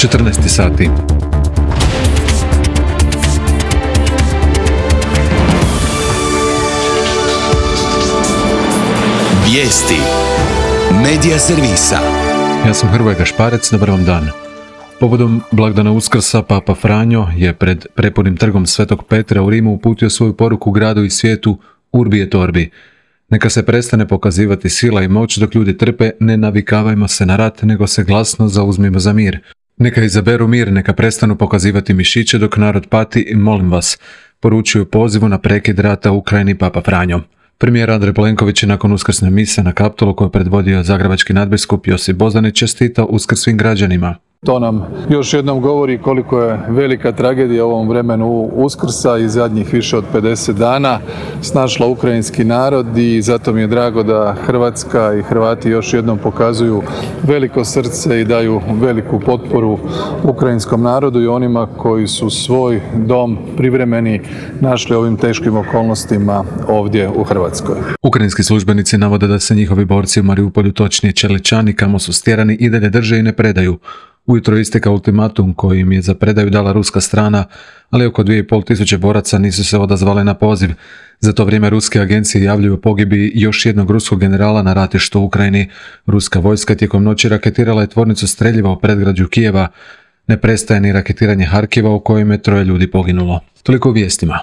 14 sati. Vijesti Medija servisa. Ja sam Hrvoje Gašparec, dobar vam dan. Povodom blagdana Uskrsa, Papa Franjo je pred prepunim trgom Svetog Petra u Rimu uputio svoju poruku gradu i svijetu Urbi et Orbi. Neka se prestane pokazivati sila i moć dok ljudi trpe, ne navikavajmo se na rat, nego se glasno zauzmimo za mir. Neka izaberu mir, neka prestanu pokazivati mišiće dok narod pati, molim vas, poručuju pozivu na prekid rata u Ukrajini Papa Franjo. Premijer Andrej Plenković je nakon uskrsne mise na Kaptolu koju je predvodio zagrebački nadbiskup Josip Bozanić čestitao Uskrs svim građanima. To nam još jednom govori koliko je velika tragedija u ovom vremenu Uskrsa i zadnjih više od 50 dana snašla ukrajinski narod i zato mi je drago da Hrvatska i Hrvati još jednom pokazuju veliko srce i daju veliku potporu ukrajinskom narodu i onima koji su svoj dom privremeni našli ovim teškim okolnostima ovdje u Hrvatskoj. Ukrajinski službenici navode da se njihovi borci u Mariupolju, točnije Čeličani, kamo su stjerani, i dalje drže i ne predaju. Ujutro isteka ultimatum koji im je za predaju dala ruska strana, ali oko 2500 boraca nisu se odazvali na poziv. Za to vrijeme ruske agencije javljaju o pogibiji još jednog ruskog generala na ratištu u Ukrajini. Ruska vojska tijekom noći raketirala je tvornicu streljiva u predgrađu Kijeva. Ne prestaje ni raketiranje Harkiva u kojem je 3 ljudi poginulo. Toliko u vijestima.